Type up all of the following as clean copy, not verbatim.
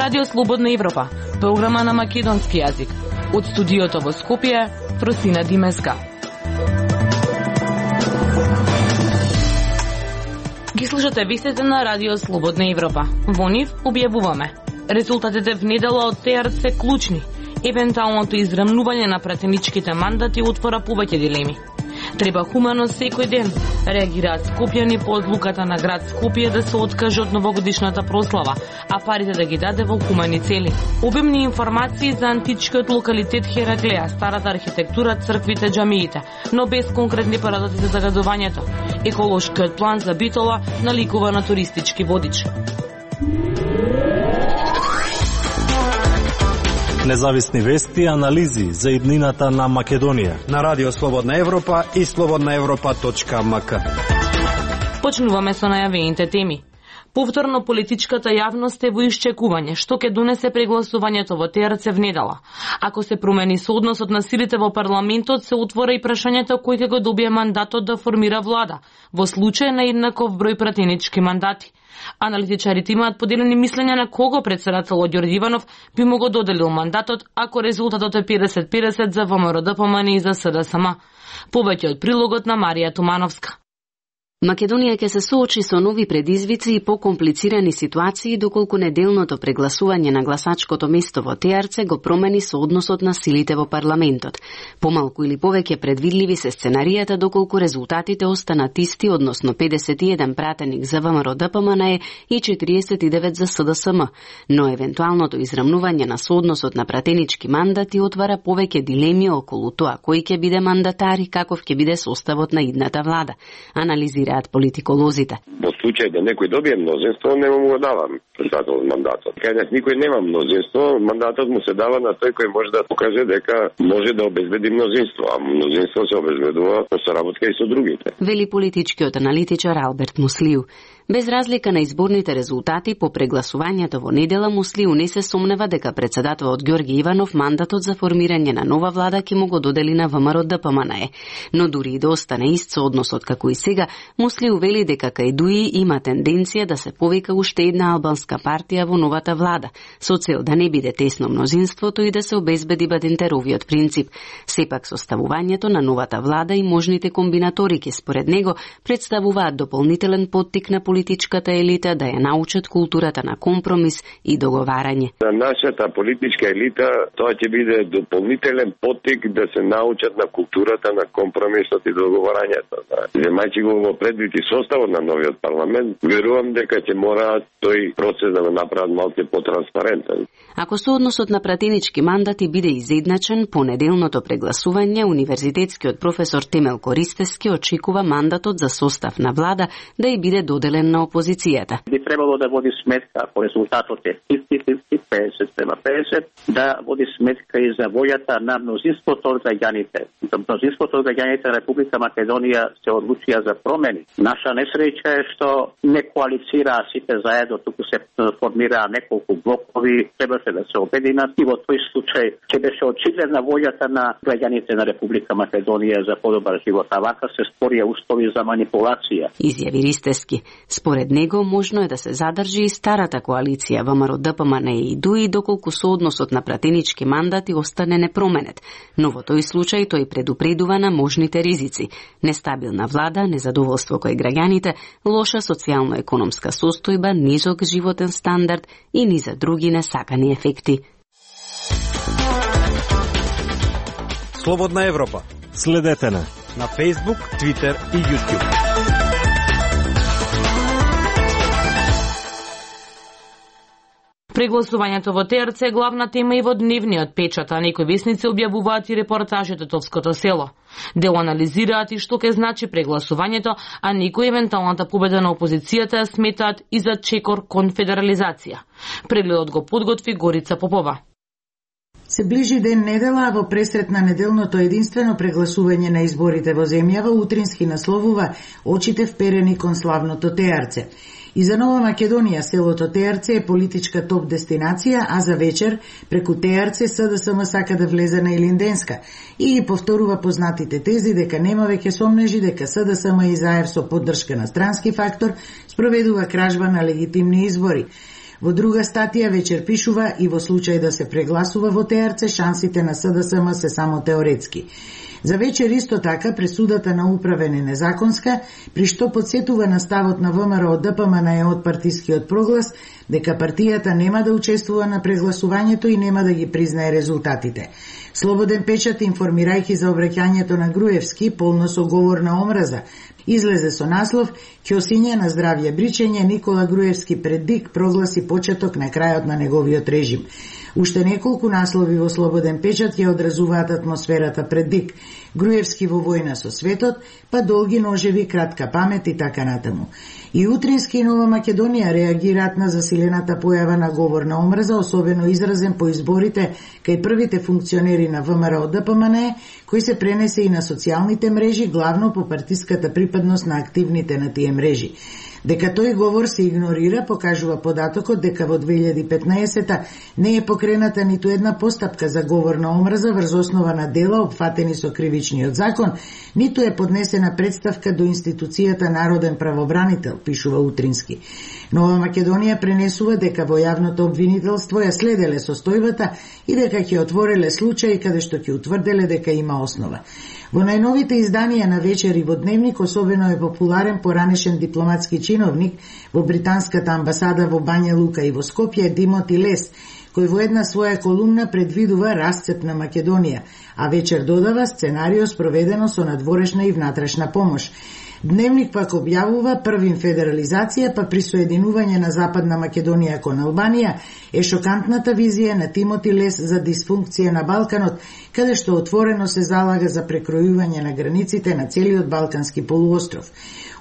Радио Слободна Европа, програма на македонски јазик. Од студиото во Скопје, Фросина Димеска. Ги слушате вестите на Радио Слободна Европа. Во нив објавуваме: резултатите внедела од ТРЦ се клучни. Евентуалното израмнување на пратеничките мандати отвора повеќе дилеми. Треба хумано секој ден, реагираат скопјани по одлуката на град Скопје да се откаже од новогодишната прослава, а парите да ги даде во хумани цели. Обемни информации за античкиот локалитет Хераклеја, старата архитектура, црквите, џамиите, но без конкретни парадоци за загадувањето. Еколошкиот план за Битола наликува на туристички водич. Независни вести и анализи за иднината на Македонија на Радио Слободна Европа и slobodnaevropa.mk. Почнуваме со најавените теми. Повторно политичката јавност е во исчекување што ќе донесе прегласувањето во ТРЦ внедела. Ако се промени соодносот на силите во парламентот, се отвора и прашањето кој ќе го добие мандатот да формира влада, во случај на еднаков број пратенички мандати. Аналитичарите имаат поделени мислења на кого претседателот Ѓорѓе Иванов би му го доделил мандатот ако резултатот е 50-50 за ВМРО-ДПМН и за СДСМ. Повеќе од прилогот на Марија Тумановска. Македонија ќе се соочи со нови предизвици и покомплицирани ситуации доколку неделното прегласување на гласачкото место во ТРЦ го промени соодносот на силите во парламентот. Помалку или повеќе предвидливи се сценаријата доколку резултатите останат исти, односно 51 пратеник за ВМРО-ДПМН и 49 за СДСМ, но евентуалното израмнување на соодносот на пратенички мандати отвара повеќе дилеми околу тоа кој ќе биде мандатар и каков ќе биде составот на идната влада. Анализираат политиколозите. Во случај да некој добие мнозинство, не му го давам председател мандатот. Кај никој нема мнозинство, мандатот му се дава на тој кој може да покаже дека може да обезбеди мнозинство, а мнозинство се обезбедува со соработка и со другите. Вели политичкиот аналитичар Алберт Муслиу. Без разлика на изборните резултати, по прегласувањето во недела Муслиу не се сомнева дека председателот Ѓорѓе Иванов мандатот за формирање на нова влада ќе му го додели на ВМРО-ДПМН. Но дури и да остане ист соодносот како и сега, Муслиу вели дека кај ДУИ има тенденција да се повика уште една албанска партија во новата влада, со цел да не биде тесно мнозинството и да се обезбеди Бадентеровиот принцип. Сепак составувањето на новата влада и можните комбинаторики според него представуваат дополнителен поттик на политичката елита да ја научат културата на компромис и договарање. За нашата политичка елита тоа ќе биде дополнителен поттик да се научат на културата на компромисот и договарањето. Земајќи го во предвид и составот на новиот парламент, верувам дека ќе мораат тој процес да го направат малку потранспарентен. Ако соодносот на пратенички мандати биде изедначен, по неделното прегласување универзитетскиот професор Темел Користевски очекува мандатот за состав на влада да и биде доделен на опозицијата. Би требало да води сметка, ако резултатот е 50-50, 50-50, да води сметка и за војата на мнозинството од граѓаните. Мнозинството од граѓаните на Република Македонија се одлучија за промени. Наша несреќа е што не коалицираа сите заедно, туку се формираа неколку блокови, требаше да се обединат и во тој случај ќе беше очигледна војата на граѓаните на Република Македонија за подобар живот, а вака се створија устови за манипулација. Изјави Ристевски. Според него можно е да се задржи и старата коалиција ВМРО-ДПМН и ДУИ доколку соодносот на пратенички мандати остане непроменет, но во тој случај тој предупредува на можните ризици: нестабилна влада, незадоволство кој граѓаните, лоша социјално-економска состојба, низок животен стандард и низа други несакани ефекти. Слободна Европа. Следете на Facebook, Twitter и YouTube. Прегласувањето во ТРЦ е главна тема и во дневниот печат, а некои весници објавуваат и репортажи од Тетовското село. Дел анализираат и што ќе значи прегласувањето, а некои евентуалната победа на опозицијата ја сметаат и за чекор кон федерализација. Прегледот го подготви Горица Попова. Се ближи ден недела, а во пресрет на неделното единствено прегласување на изборите во земјава утрински насловува очите вперени кон славното ТРЦ. И за Нова Македонија селото ТРЦ е политичка топ дестинација, а за вечер преку ТРЦ СДСМ сака да влезе на Илинденска и ги повторува познатите тези дека нема веќе сомнежи дека СДСМ и заев со поддршка на странски фактор спроведува кражба на легитимни избори. Во друга статија вечер пишува и во случај да се прегласува во ТРЦ, шансите на СДСМ се само теоретски. За вечер исто така пресудата на управен е незаконска, при што подсетува на ставот на ВМРО ДПМН од партискиот проглас дека партијата нема да учествува на прегласувањето и нема да ги признае резултатите. Слободен печат, информирајќи за обраќањето на Груевски, полно со говор на омраза, излезе со наслов "Ќосиње на здравје бричење, Никола Груевски пред ДИК прогласи почеток на крајот на неговиот режим". Уште неколку наслови во Слободен печат ја одразуваат атмосферата пред ДИК. Груевски во војна со светот, па долги ножеви, кратка памет и така натаму. И Утрински и Нова Македонија реагираат на засилената појава на говор на омраза, особено изразен по изборите кај првите функционери на ВМРО ДПМН, кој се пренесе и на социјалните мрежи, главно по партиската припадност на активните на тие мрежи. Дека тој говор се игнорира, покажува податокот дека во 2015 не е покрената ниту една постапка за говор на омраза врз основа на дела опфатени со кривичниот закон, ниту е поднесена представка до институцијата Народен правобранител, пишува Утрински. Нова Македонија пренесува дека во јавното обвинителство ја следеле состојбата и дека ќе отвореле случаи каде што ќе утврделе дека има основа. Во најновите изданија на вечер и во Дневник особено е популарен поранешен дипломатски чиновник во британската амбасада во Бања Лука и во Скопје Димоти Лес, кој во една своја колумна предвидува расцеп на Македонија, а вечер додава сценарио спроведено со надворешна и внатрешна помош. Дневник пак објавува првим федерализација, па присоединување на Западна Македонија кон Албанија е шокантната визија на Тимоти Лес за дисфункција на Балканот, каде што отворено се залага за прекројување на границите на целиот Балкански полуостров.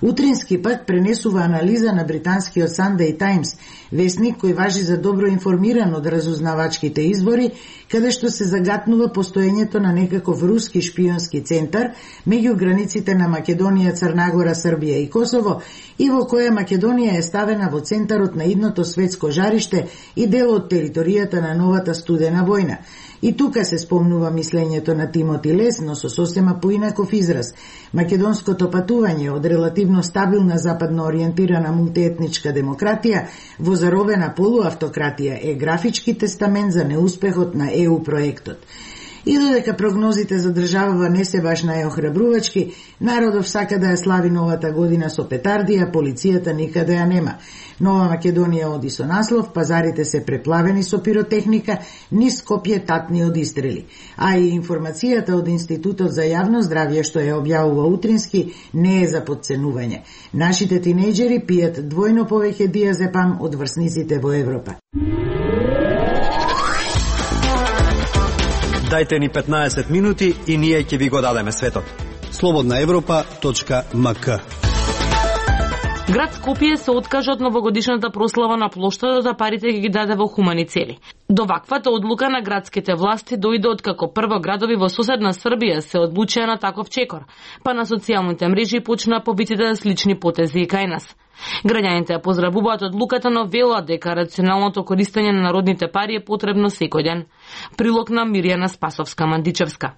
Утрински пак пренесува анализа на британскиот Sunday Times, весник кој важи за добро информиран од разузнавачките избори, каде што се загатнува постоењето на некаков руски шпионски центар меѓу границите на Македонија, Црна Гора, Србија и Косово, и во која Македонија е ставена во центарот на идното светско жариште и дел од територијата на новата студена војна. И тука се спомнува мислењето на Тимоти Лес, но со сосема поинаков израз. Македонското патување од релативно стабилна западно ориентирана мултиетничка демократија во заровена полуавтократија е графички тестамент за неуспехот на ЕУ проектот. И додека прогнозите за државава не се баш најохрабрувачки, народов сака да ја слави новата година со петардија, полицијата никаде ја нема. Нова Македонија оди со наслов, пазарите се преплавени со пиротехника, низ Скопје татни од истрели. А и информацијата од Институтот за јавно здравје што ја објавува Утрински не е за подценување. Нашите тинејџери пијат двојно повеќе диазепам од врсниците во Европа. Дајте ни 15 минути и ние ќе ви го дадеме светот. slobodnaevropa.mk Град Скопје се откажа од новогодишната прослава на плоштадот, а парите ги даде во хумани цели. До ваквата одлука на градските власти дојде откако прво градови во соседна Србија се одлучија на таков чекор, па на социјалните мрежи почнаа повиците слични потези и кај нас. Граѓаните ја поздравуваат одлуката, но велат дека рационалното користење на народните пари е потребно секој ден. Прилог на Мирјана Спасовска-Мандичевска.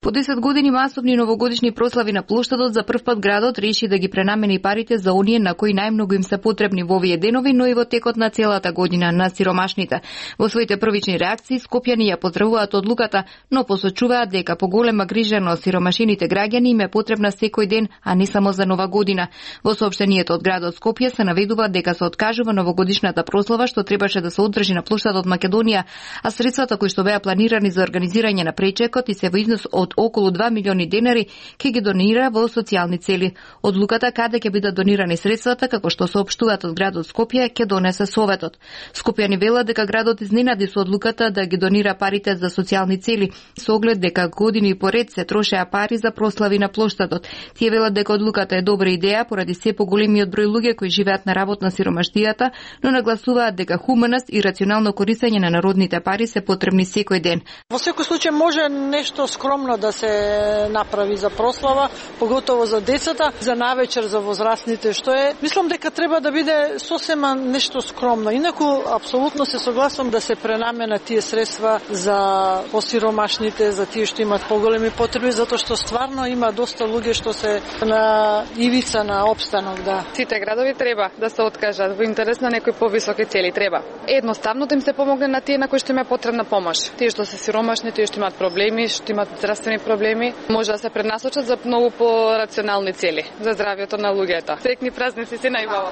По 10 години масовни новогодишни прослави на плоштадот, за прв пат градот реши да ги пренамени парите за оние на кои најмногу им се потребни во овие денови, но и во текот на целата година, на сиромашните. Во своите првични реакции скопјани ја поздравуваат одлуката, но посочуваат дека поголема грижа на сиромашените граѓани им е потребна секој ден, а не само за нова година. Во соопштението од градот Скопје се наведува дека се откажува новогодишната прослава што требаше да се одржи на плоштадот Македонија, а средствата кои што беа планирани за организирање на пречекот и се во износ од околу 2 милиони денари ќе ги донира во социјални цели. Одлуката каде ќе бидат донирани средствата, како што соопштуваат од градот Скопје, ќе донесе Советот. Скопјани велат дека градот изненади со одлуката да ги донира парите за социјални цели, со оглед дека години поред се трошеа пари за прослави на плоштадот. Тие велат дека одлуката е добра идеја поради се поголемиот број луѓе кои живеат на работ на сиромаштијата, но нагласуваат дека хуманост и рационално користење на народните пари се потребни секој ден. Во секој случај може нешто скромно да се направи за прослава, поготово за децата, за навечер за возрастните, што е. Мислам дека треба да биде сосема нешто скромно. Инаку апсолутно се согласувам да се пренамена тие средства за посиромашните, за тие што имаат поголеми потреби, затоа што стварно има доста луѓе што се на ивица на опстанок, да. Сите градови треба да се откажат во интерес на некои повисоки цели, треба. Едноставно да им се помогне на тие на кои што има потребна помош. Тие што се сиромашни, тие што имаат проблеми, што имаат здравствени проблеми, може да се пренасочат за многу по-рационални цели за здравјето на луѓето. Среќни празници се најбава.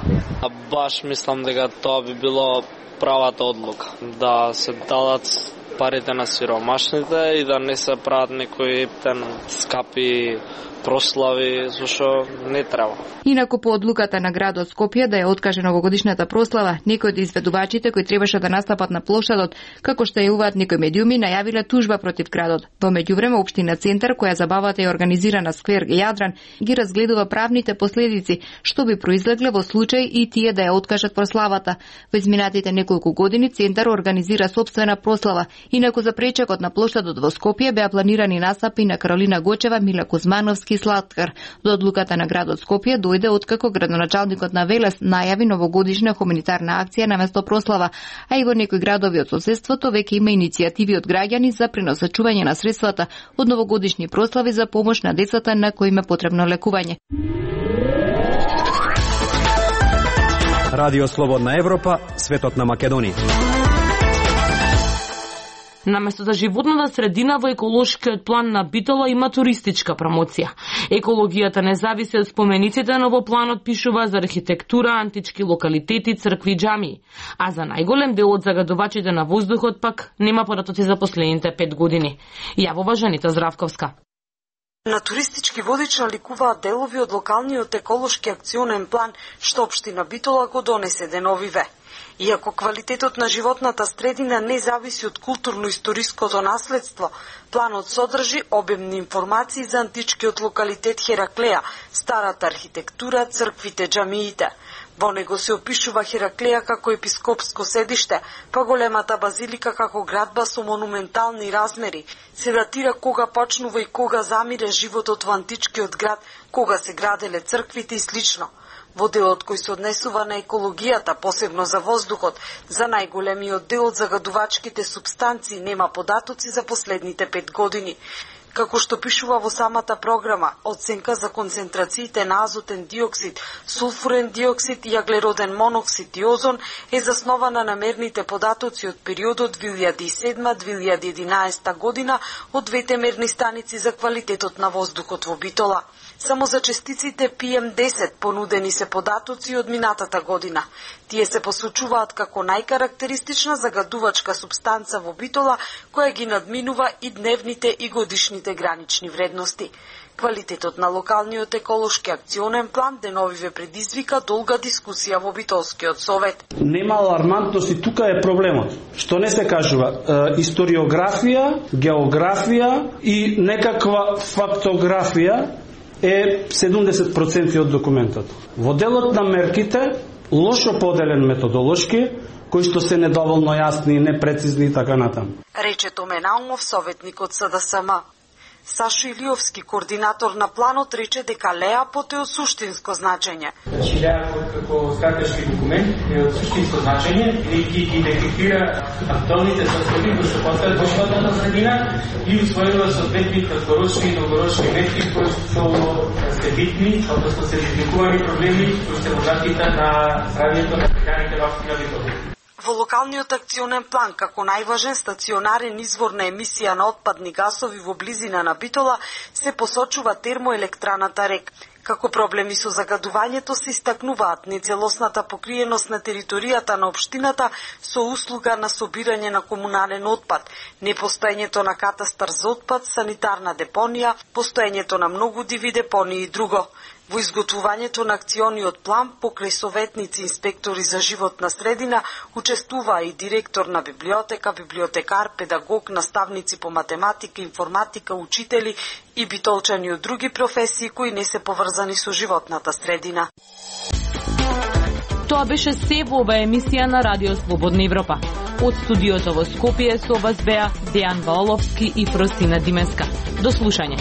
Баш мислам дека тоа би било правата одлука, да се дадат парите на сиромашните и да не се прават некои скапи прослави, зашо не треба. Инаку по одлуката на градот Скопје да ја откаже новогодишната прослава, некои од изведувачите кои требаше да настапат на плошадот, како што јавуваат некои медиуми, најавиле тужба против градот. Во меѓувреме општина Центар, која забавата е организирана сквер Јадран, ги разгледува правните последици што би произлегле во случај и тие да ја откажат прославата. Во изминатите неколку години Центар организира сопствена прослава. Инаку за пречекот на плошадот во Скопје беа планирани настапи на Каролина Гочева, Мила Кузмановски и Сладкар. До одлуката на градот Скопје дојде откако градоначалникот на Велес најави новогодишна хуманитарна акција наместо прослава, а и во некои градови од соседството веќе има иницијативи од граѓани за пренасочување на средствата од новогодишни прослави за помош на децата на кои им е потребно лекување. Радио Слободна Европа, светот на Македонија. Наместо да животната средина во еколошкиот план на Битола има туристичка промоција. Екологијата не зависи од спомениците, но во планот пишува за архитектура, антички локалитети, цркви, џамии. А за најголем дел од загадувачите на воздухот пак нема податоци за последните 5 години. Јавува Жанита Здравковска. На туристички водич наликуваат делови од локалниот еколошки акционен план што општина Битола го донесе деновиве. Иако квалитетот на животната средина не зависи од културно-историското наследство, планот содржи обемни информации за античкиот локалитет Хераклеја, старата архитектура, црквите, џамиите. Во него се опишува Хераклеја како епископско седиште, па големата базилика како градба со монументални размери. Се датира кога почнува и кога замире животот во античкиот град, кога се граделе црквите и слично. Во делот кој се однесува на екологијата, посебно за воздухот, за најголемиот дел од загадувачките супстанции нема податоци за последните 5 години. Како што пишува во самата програма, оценка за концентрациите на азотен диоксид, сулфурен диоксид и аглероден моноксид и озон е заснована на мерните податоци од периодот 2007-2011 година од двете мерни станици за квалитетот на воздухот во Битола. Само за частиците PM10 понудени се податоци од минатата година. Тие се посочуваат како најкарактеристична загадувачка супстанца во Битола, која ги надминува и дневните и годишните гранични вредности. Квалитетот на локалниот еколошки акционен план деновиве предизвика долга дискусија во Битолскиот совет. Нема алармантност и тука е проблемот. Што не се кажува? Историографија, географија и некаква фактографија е 70% од документот. Во делот на мерките, лошо поделен методолошки, кои што се недоволно јасни и непрецизни и така натаму. Рече Томе Наумов, советник од СДСМ. Сашо Илиовски, координатор на планот, рече дека Леапот е од суштинско значење. Леапот како стратешки документ е од суштинско значење и ги детектира актуалните состојби кои што постават во животната средина и усвојува соодветни краткорочни и долгорочни мерки кои што се битни, односно се изникувани проблеми кои се во заштита на здравјето на граѓаните во општина Битола. Во локалниот акционен план, како најважен стационарен извор на емисија на отпадни гасови во близина на Битола, се посочува термоелектраната РЕК. Како проблеми со загадувањето се истакнуваат нецелосната покриеност на територијата на општината со услуга на собирање на комунален отпад, непостоењето на катастар за отпад, санитарна депонија, постоењето на многу диви депонии и друго. Во изготвувањето на акциониот план, покрај советници инспектори за животна средина, учествуваа и директор на библиотека, библиотекар, педагог, наставници по математика, информатика, учители и битолчани од други професии кои не се поврзани со животната средина. Тоа беше се во оваа емисија на Радио Слободна Европа. Од студиото во Скопје со вас беа Дејан Ваоловски и Фростина Димеска. До слушање.